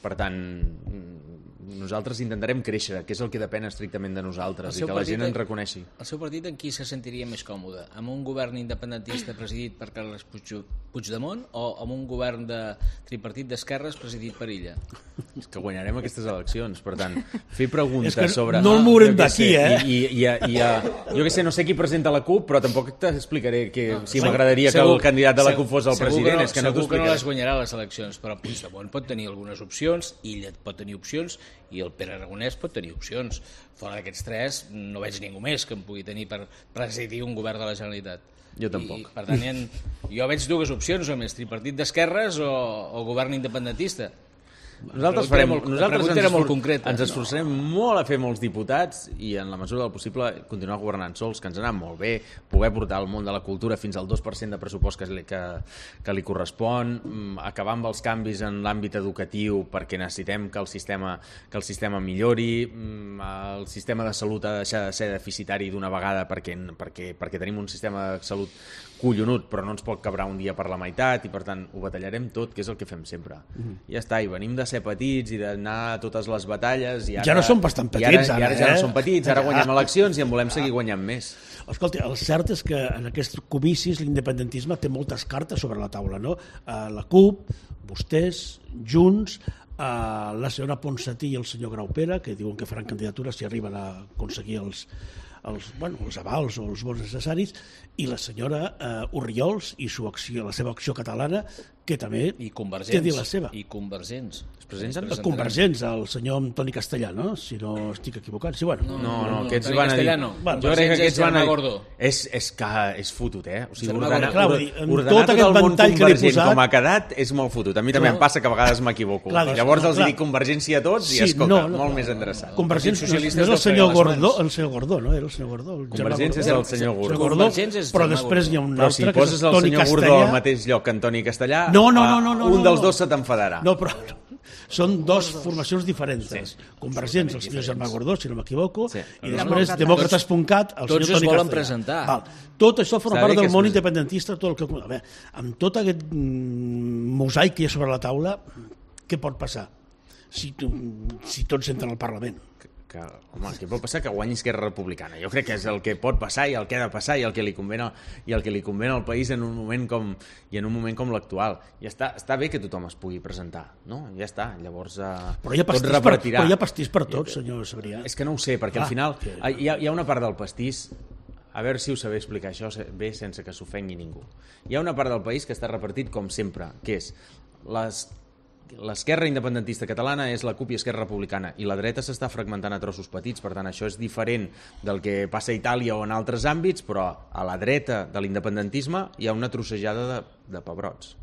Per tant, nosaltres intentarem créixer, que és el que depèn estrictament de nosaltres, i que la gent ens reconeixi. El seu partit en qui se sentiria més còmode? Amb un govern independentista presidit per Carles Puigdemont o amb un govern de tripartit d'esquerres presidit per Illa? És que guanyarem aquestes eleccions, per tant, fer preguntes sobre... No el mourem d'aquí, eh? I, i, i, i, i, jo què sé, no sé qui presenta la CUP, però tampoc t'explicaré que no, si m'agradaria que el candidat de la CUP fos el president. No, és que no segur que no les guanyarà les eleccions, però Puigdemont pot tenir algunes opcions, Illa pot tenir opcions, i el Pere Aragonès pot tenir opcions. Fora d'aquests tres no veig ningú més que em pugui tenir per presidir un govern de la Generalitat. Jo tampoc. I, per tant, ha, jo veig dues opcions, o més tripartit d'esquerres o, o govern independentista. Nosaltres farem, molt, nosaltres ens, era molt esfor concreta. ens esforçarem molt a fer molts diputats i en la mesura del possible continuar governant sols, que ens ha anat molt bé, poder portar el món de la cultura fins al dos per cent de pressupost que li, que, que li correspon, acabar amb els canvis en l'àmbit educatiu perquè necessitem que el sistema, que el sistema millori, el sistema de salut ha de deixar de ser deficitari d'una vegada perquè, perquè, perquè tenim un sistema de salut collonut, però no ens pot quebrar un dia per la meitat i per tant ho batallarem tot, que és el que fem sempre. Mm. I ja està, i venim de ser petits i d'anar a totes les batalles i ara, ja no som bastant petits, i ara, ara, i ara ja eh? no som petits, ara guanyem eleccions i en volem seguir guanyant més. Escolta, el cert és que en aquests comicis l'independentisme té moltes cartes sobre la taula, no? La CUP, vostès, Junts, la senyora Ponsatí i el senyor Graupera, que diuen que faran candidatures si arriben a aconseguir els, els, bueno, els avals o els vots necessaris, i la senyora uh, Orriols i su acció, la seva acció catalana, que també I té dir la seva. I convergents. Es presenten? Els convergents, el senyor Antoni Castellà, no? Si no estic equivocat. Sí, bueno. No, no, no, no, aquests Antoni van a dir... Castellà no. Bueno, jo crec que aquests van a dir... Gordó. És, és que és fotut, eh? O sigui, Germà ordenar, Clar, or, vull dir, en ordenar tot tot, aquest el món ventall que li he convergent posat- com ha quedat és molt fotut. A mi també Clar. em passa que a vegades m'equivoco. Clar, Llavors els clar. dic convergència a tots i Sí, escolta, no, no, molt clar. més endreçat. Convergents no, Socialistes no és el no senyor freguen les Gordó, mans. el senyor Gordó, no? Era el senyor Gordó. El Germà Convergents és Gordó. el senyor Gordó. Gordó, Convergents és però Germà després hi ha un Però altre si que és poses el Toni senyor Gordó Castellà. al mateix lloc que Antoni Castellà, No, no, no, a- no, no, un no, dels no. dos se t'enfadarà. No, però són dos formacions diferents. Sí, Convergents, el senyor Germà Gordó, si no m'equivoco, Sí. i després Demòcrates. Demòcrates.cat, el Tots senyor es Toni volen Castellà. presentar. Val. Tot això forma Està part bé que del es món presenti. independentista, tot el que... A veure, amb tot aquest mm, mosaic que hi ha sobre la taula, què pot passar si, tu, si tots entren al Parlament? Que, home, què pot passar? Que guanyi Esquerra Republicana. Jo crec que és el que pot passar i el que ha de passar i el que li convé, i el que li convé al país en un moment com, i en un moment com l'actual. I està, està bé que tothom es pugui presentar, no? Ja està, llavors eh, Però hi ha tot pastís per, repartirà. però hi ha pastís per tot, senyor Sabrià. És que no ho sé, perquè Ah, al final que- hi ha, hi ha una part del pastís, a veure si ho sabeu explicar això bé sense que s'ofengui ningú. Hi ha una part del país que està repartit com sempre, que és les l'esquerra independentista catalana és la CUP i Esquerra Republicana i la dreta s'està fragmentant a trossos petits, per tant això és diferent del que passa a Itàlia o en altres àmbits, però a la dreta de l'independentisme hi ha una trossejada de, de pebrots.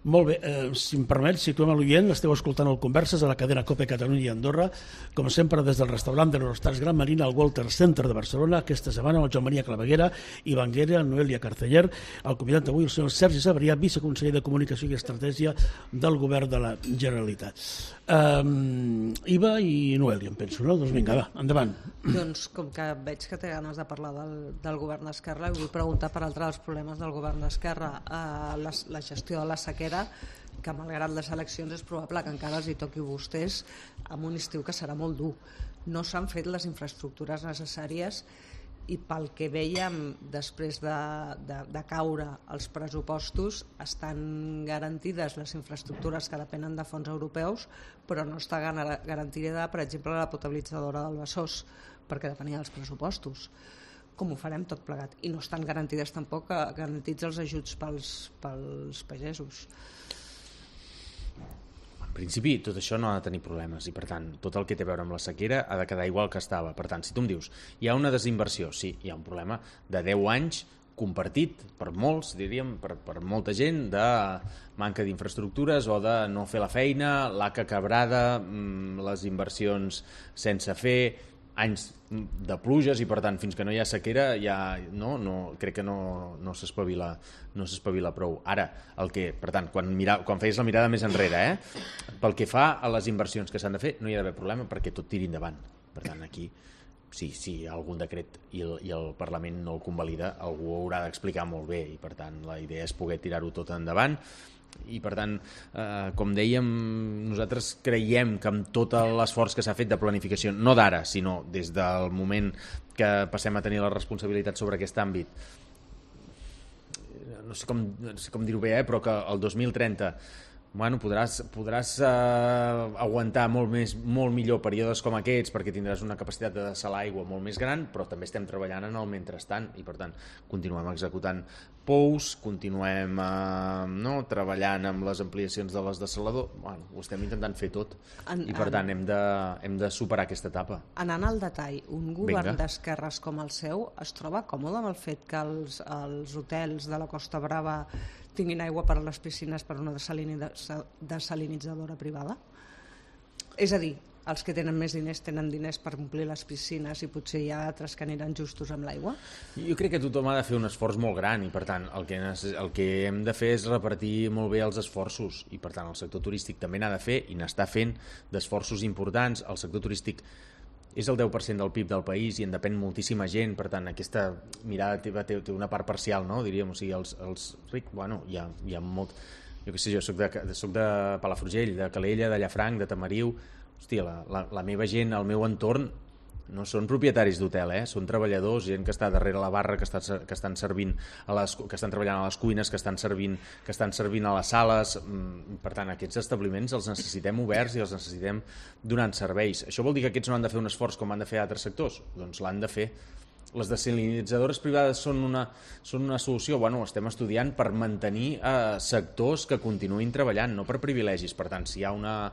Molt bé, eh, si em permet, situem a l'oient, esteu escoltant el Converses a la cadena COPE Catalunya i Andorra, com sempre des del restaurant de l'Horostars Gran Marina al Walter Center de Barcelona, aquesta setmana el Joan Maria Claveguera, Ivan Guerra, Noelia Carceller, el convidat d'avui el senyor Sergi Sabrià, viceconseller de Comunicació i Estratègia del Govern de la Generalitat. Um, Iva i Noelia, em penso, no? Doncs vinga, va, endavant. Doncs com que veig que té ganes de parlar del, del govern d'Esquerra, vull preguntar per altre dels problemes del govern d'Esquerra, eh, la, la gestió de la sequera, que malgrat les eleccions és probable que encara els hi toqui a vostès amb un estiu que serà molt dur. No s'han fet les infraestructures necessàries i pel que vèiem després de, de, de caure els pressupostos estan garantides les infraestructures que depenen de fons europeus, però no està garantida, per exemple, la potabilitzadora del Besòs, perquè depenia dels pressupostos. Com ho farem tot plegat? I no estan garantides tampoc garantits els ajuts pels, pels pagesos. En principi, tot això no ha de tenir problemes i, per tant, tot el que té a veure amb la sequera ha de quedar igual que estava. Per tant, si tu em dius, hi ha una desinversió, sí, hi ha un problema de deu anys compartit per molts, diríem, per, per molta gent, de manca d'infraestructures o de no fer la feina, l'haca quebrada, les inversions sense fer, anys de pluges i per tant fins que no hi ha sequera ja, no, no, crec que no, no s'espavila no s'espavila prou. Ara, el que, per tant, quan, mira, quan feies la mirada més enrere, eh, pel que fa a les inversions que s'han de fer, no hi ha d'haver problema perquè tot tiri endavant. Per tant, aquí, si, si hi ha algun decret i el, i el Parlament no el convalida, algú ho haurà d'explicar molt bé i per tant la idea és poder tirar-ho tot endavant. I per tant, eh, com dèiem, nosaltres creiem que amb tot l'esforç que s'ha fet de planificació, no d'ara, sinó des del moment que passem a tenir la responsabilitat sobre aquest àmbit, no sé com, no sé com dir-ho bé, eh, però que el dos mil trenta bueno, podràs, podràs eh, aguantar molt, més, molt millor períodes com aquests perquè tindràs una capacitat de dessalar aigua molt més gran, però també estem treballant en el mentrestant i per tant continuem executant pous, continuem eh, no, treballant amb les ampliacions de les dessaladors, bueno, ho estem intentant fer tot en, i per tant hem de, hem de superar aquesta etapa. Anant al detall, un govern Vinga. d'esquerres com el seu es troba còmode amb el fet que els, els hotels de la Costa Brava tinguin aigua per a les piscines per una desalinitzadora privada? És a dir, els que tenen més diners tenen diners per omplir les piscines i potser hi ha altres que aniran justos amb l'aigua? Jo crec que tothom ha de fer un esforç molt gran i per tant el que, el que hem de fer és repartir molt bé els esforços i per tant el sector turístic també n'ha de fer i n'està fent d'esforços importants. El sector turístic és el deu per cent del P I B del país i en depèn moltíssima gent, per tant aquesta mirada té, té, té una part parcial, no? Diríem, o sigui, els, els rics, bueno, hi ha, hi ha molt... Jo què sé, jo soc de, soc de Palafrugell, de Calella, de Llafranc, de Tamariu. Hòstia, la, la, la meva gent, el meu entorn, no són propietaris d'hotel, eh? Són treballadors, gent que està darrere la barra, que, està, que, estan servint a les, que estan treballant a les cuines, que estan servint, que estan servint a les sales. Per tant, aquests establiments els necessitem oberts i els necessitem donant serveis. Això vol dir que aquests no han de fer un esforç com han de fer altres sectors? Doncs l'han de fer. Les desalinitzadores privades són una, són una solució? Bueno, ho estem estudiant per mantenir eh, sectors que continuïn treballant, no per privilegis. Per tant, si hi ha una...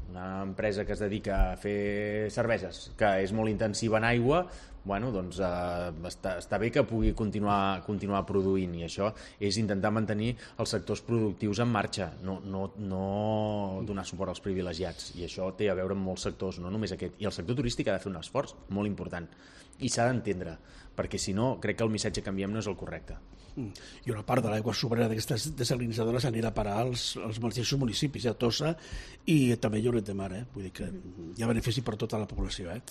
una empresa que es dedica a fer cerveses, que és molt intensiva en aigua, bueno, doncs eh, està, està bé que pugui continuar, continuar produint i això és intentar mantenir els sectors productius en marxa, no, no, no donar suport als privilegiats i això té a veure amb molts sectors, no només aquest. I el sector turístic ha de fer un esforç molt important i s'ha d'entendre, perquè si no crec que el missatge que enviem no és el correcte. I una part de l'aigua sobrera d'aquestes desalinitzadores anirà a parar als, als mateixos municipis, a Tossa i també Lloret de Mar, eh? Vull dir que hi ha benefici per tota la població. Eh?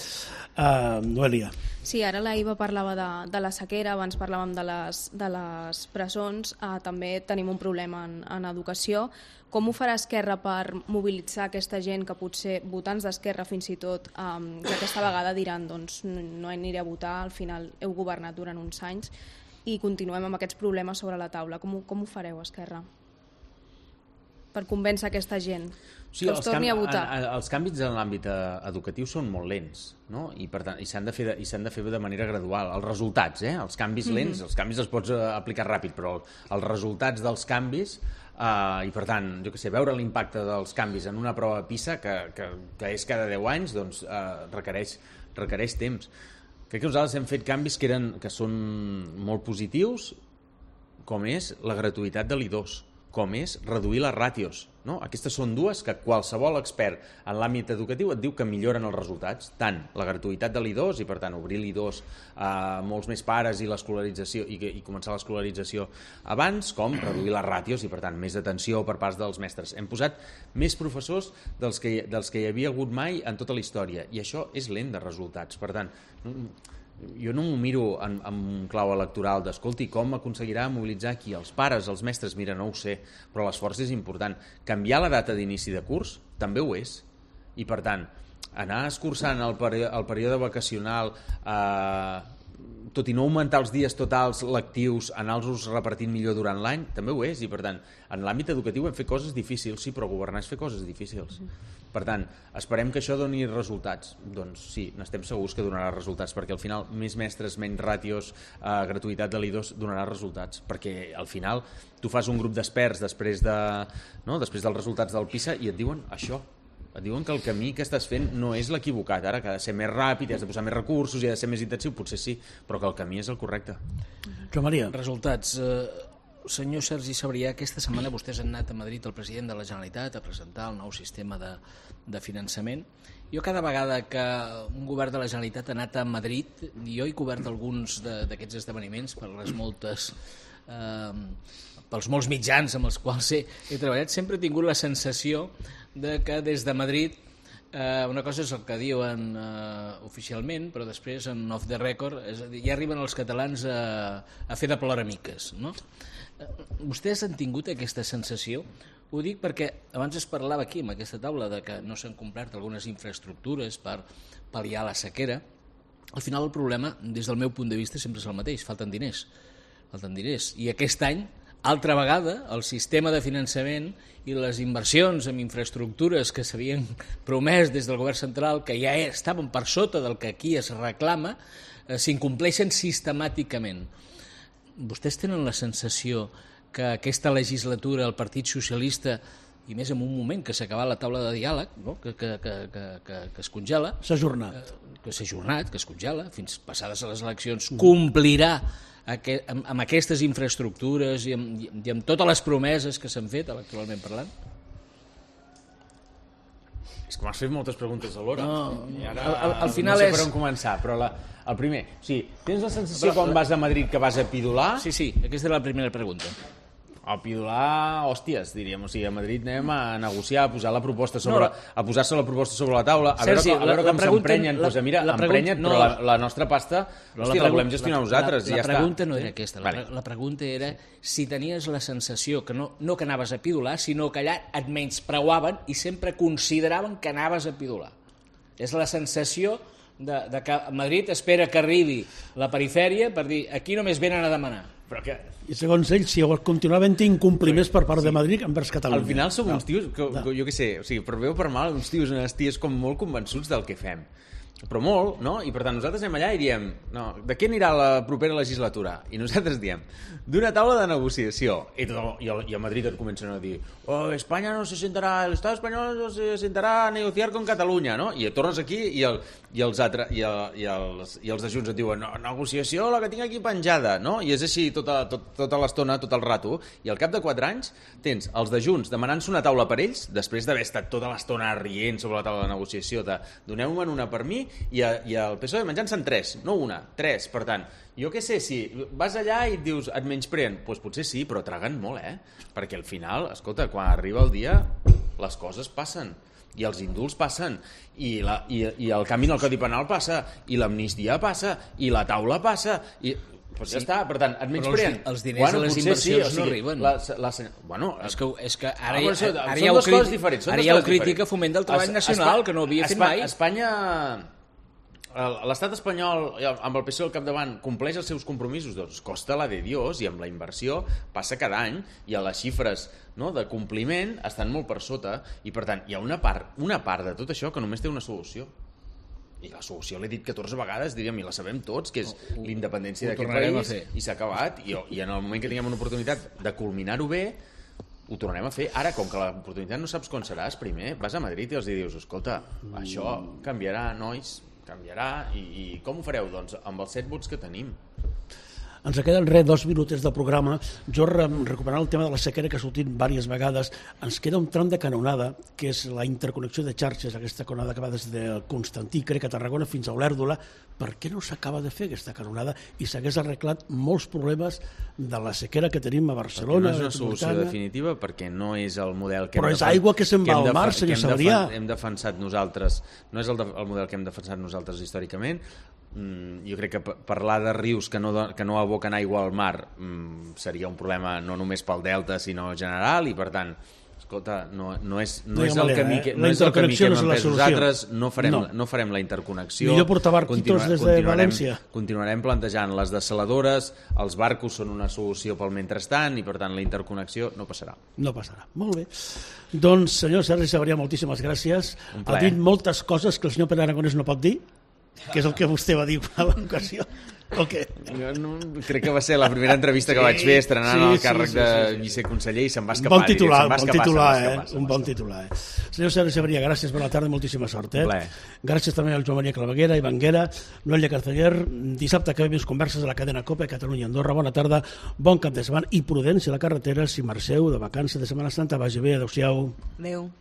Uh, Noelia. Sí, ara la Iva parlava de, de la sequera, abans parlàvem de les, de les presons, uh, també tenim un problema en, en educació. Com ho farà Esquerra per mobilitzar aquesta gent que potser, votants d'Esquerra fins i tot, um, que aquesta vegada diran doncs no aniré a votar, al final heu governat durant uns anys, i continuem amb aquests problemes sobre la taula. Com, com ho fareu, Esquerra? Per convèncer aquesta gent sí, que els torni a votar. A, a, els canvis en l'àmbit educatiu són molt lents, no? I per tant, i s'han de fer de, i s'han de fer de manera gradual. Els resultats, eh? Els canvis lents, mm-hmm. els canvis els pots aplicar ràpid, però els resultats dels canvis Uh, i per tant, jo què sé, veure l'impacte dels canvis en una prova PISA que, que, que és cada deu anys, doncs uh, requereix, requereix temps. Crec que nosaltres hem fet canvis que, eren, que són molt positius, com és la gratuïtat de l'I dos, com és reduir les ràtios. No? Aquestes són dues que qualsevol expert en l'àmbit educatiu et diu que milloren els resultats, tant la gratuïtat de l'I dos i per tant obrir l'I dos a molts més pares i l'escolarització i, i començar l'escolarització abans, com reduir les ràtios i per tant més atenció per part dels mestres. Hem posat més professors dels que, dels que hi havia hagut mai en tota la història i això és lent de resultats. Per tant, jo no m'ho miro en, en un clau electoral d'escolti, com aconseguirà mobilitzar aquí els pares, els mestres, mira, no ho sé, però l'esforç és important. Canviar la data d'inici de curs també ho és. I per tant, anar escurçant el, peri el període vacacional, eh, tot i no augmentar els dies totals lectius, anar-los repartint millor durant l'any, també ho és. I per tant, en l'àmbit educatiu hem fet coses difícils, sí, però governar és fer coses difícils. Per tant, esperem que això doni resultats. Doncs sí, n'estem segurs que donarà resultats, perquè al final més mestres, menys ràtios, eh, gratuïtat de l'I dos donarà resultats, perquè al final tu fas un grup d'experts després, de, no, després dels resultats del PISA i et diuen això, et diuen que el camí que estàs fent no és l'equivocat, ara que ha de ser més ràpid, has de posar més recursos i ha de ser més intensiu, potser sí, però que el camí és el correcte. Joan Maria. Resultats. Eh, senyor Sergi Sabrià, aquesta setmana vostès han anat a Madrid el president de la Generalitat a presentar el nou sistema de, de finançament. Jo cada vegada que un govern de la Generalitat ha anat a Madrid, jo he cobert alguns d'aquests esdeveniments per les moltes... Eh, pels molts mitjans amb els quals he, he treballat, sempre he tingut la sensació de que des de Madrid eh, una cosa és el que diuen eh, oficialment, però després en off the record és a dir, ja arriben els catalans a, a fer de ploramiques, no? Eh, vostès han tingut aquesta sensació? Ho dic perquè abans es parlava aquí en aquesta taula de que no s'han complert algunes infraestructures per pal·liar la sequera. Al final el problema, des del meu punt de vista, sempre és el mateix, falten diners. Falten diners. I aquest any, altra vegada, el sistema de finançament i les inversions en infraestructures que s'havien promès des del govern central, que ja estaven per sota del que aquí es reclama, eh, s'incompleixen sistemàticament. Vostès tenen la sensació que aquesta legislatura el Partit Socialista, i més en un moment que s'ha acabat la taula de diàleg, no? que, que, que, que, que es congela, s'ha ajornat, que s'ha ajornat, que es congela, fins passades a les eleccions, complirà amb, amb aquestes infraestructures i amb, i amb totes les promeses que s'han fet electoralment parlant? És que m'has fet moltes preguntes alhora. No, I ara al, al, al final no sé és... per on començar, però la, el primer... O sigui, tens la sensació però, quan vas a Madrid que vas a pidolar? Sí, sí, aquesta era la primera pregunta. A pidolar, hòsties, diríem. O sigui, a Madrid anem a negociar, a posar la proposta sobre, no, a posar-se la proposta sobre la taula, a Sergi, veure, a veure la, com la s'emprenyen. Doncs mira, emprenyat, no, però la, la nostra pasta, hòstia, la, la volem gestionar la, nosaltres. La, la, i ja la pregunta està. no era aquesta. La, vale. la pregunta era si tenies la sensació que no, no que anaves a pidolar, sinó que allà et menyspreuaven i sempre consideraven que anaves a pidolar. És la sensació de, de que Madrid espera que arribi la perifèria per dir aquí només venen a demanar. Però que... I segons ells, si continuaven incompliments per part sí. de Madrid envers Catalunya. Al final som no. uns tios, que, que, jo què sé, o sigui, per bé o per mal, uns tios, unes ties com molt convençuts del que fem. Però molt, no? I per tant nosaltres anem allà i diem, no, de què anirà la propera legislatura? I nosaltres diem, d'una taula de negociació. I, tot, i, el, i a Madrid et comencen a dir, oh, Espanya no se sentarà, el Estado espanyol no se sentarà a negociar con Catalunya, no? I tornes aquí i, el, i, els, altre, i, el, i, els, i els de Junts et diuen, no, negociació, la que tinc aquí penjada, no? I és així tota, tot, tota l'estona, tot el rato. I al cap de quatre anys tens els de Junts demanant-se una taula per ells, després d'haver estat tota l'estona rient sobre la taula de negociació, de doneu-me'n una per mi, i, a, i el P S O E menjant-se'n tres, no una, tres. Per tant, jo què sé, si vas allà i et dius et menyspreen, doncs potser sí, però traguen molt, eh? Perquè al final, escolta, quan arriba el dia, les coses passen. I els indults passen, i, la, i, i el canvi en el Codi Penal passa, i l'amnistia passa, i la taula passa, i... Pues ja sí. està, per tant, et menyspreen. Els, els diners bueno, de les inversions sí, o sigui, no arriben. La, la, bueno, és que, és que ara, ah, això, ara, ara hi ha dues coses diferents. Ara hi ha crítica Foment del Treball Nacional, Espa, que no havia fet Espa, mai. Espanya, l'estat espanyol, amb el P S O E al capdavant, compleix els seus compromisos, doncs costa la de Dios, i amb la inversió passa cada any, i a les xifres no, de compliment estan molt per sota, i per tant, hi ha una part, una part de tot això que només té una solució. I la solució l'he dit catorze vegades, diríem, i la sabem tots, que és la independència d'aquest país, i s'ha acabat, i, i en el moment que tinguem una oportunitat de culminar-ho bé, ho tornarem a fer. Ara, com que l'oportunitat no saps quan seràs, primer vas a Madrid i els dius, escolta, això canviarà, nois, canviarà, i, i com ho fareu? Doncs amb els set vots que tenim. Ens queden res, dos minutets de programa. Jo, recuperant el tema de la sequera que ha sortit diverses vegades, ens queda un tram de canonada, que és la interconnexió de xarxes, aquesta canonada que va des de Constantí, crec, a Tarragona, fins a Olèrdola. Per què no s'acaba de fer aquesta canonada i s'hagués arreglat molts problemes de la sequera que tenim a Barcelona? Perquè no és una solució definitiva, perquè no és el model que Però hem és aigua que se'n va al mar, senyor Sabrià. Hem defensat nosaltres, no és el, de, el model que hem defensat nosaltres històricament. Mm, jo crec que parlar de rius que no, que no aboquen aigua al mar mm, seria un problema no només pel delta sinó general, i per tant escolta, no, no és, no no és el camí que, no és el camí que hem empès nosaltres, no farem, no. no farem la interconnexió. Millor portar barquitos des de València. Continuarem plantejant les dessaladores, els barcos són una solució pel mentrestant, i per tant la interconnexió no passarà. No passarà, molt bé. Doncs senyor Sergi Sabrià, moltíssimes gràcies. Ha dit moltes coses que el senyor Pere Aragonès no pot dir, que és el que vostè va dir a l'ocasió, o què? No, no, crec que va ser la primera entrevista que sí, vaig fer estrenant sí, el càrrec sí, sí, sí, sí. de viceconseller, i se'm va escapar. Un bon titular, va bon escapar, titular, escapar, eh? escapar, Un bon titular, eh? Senyor Sergi Sabrià, gràcies per la tarda, moltíssima sort, eh? Ple. Gràcies també al Joan Maria Claveguera, Ivanguera, Noelia Carceller. Dissabte que ve més converses a la cadena COPE, Catalunya Andorra. Bona tarda, bon cap de setmana i prudència a la carretera. Si marxeu de vacances de Setmana Santa, vagi bé, adeu-siau. Adeu.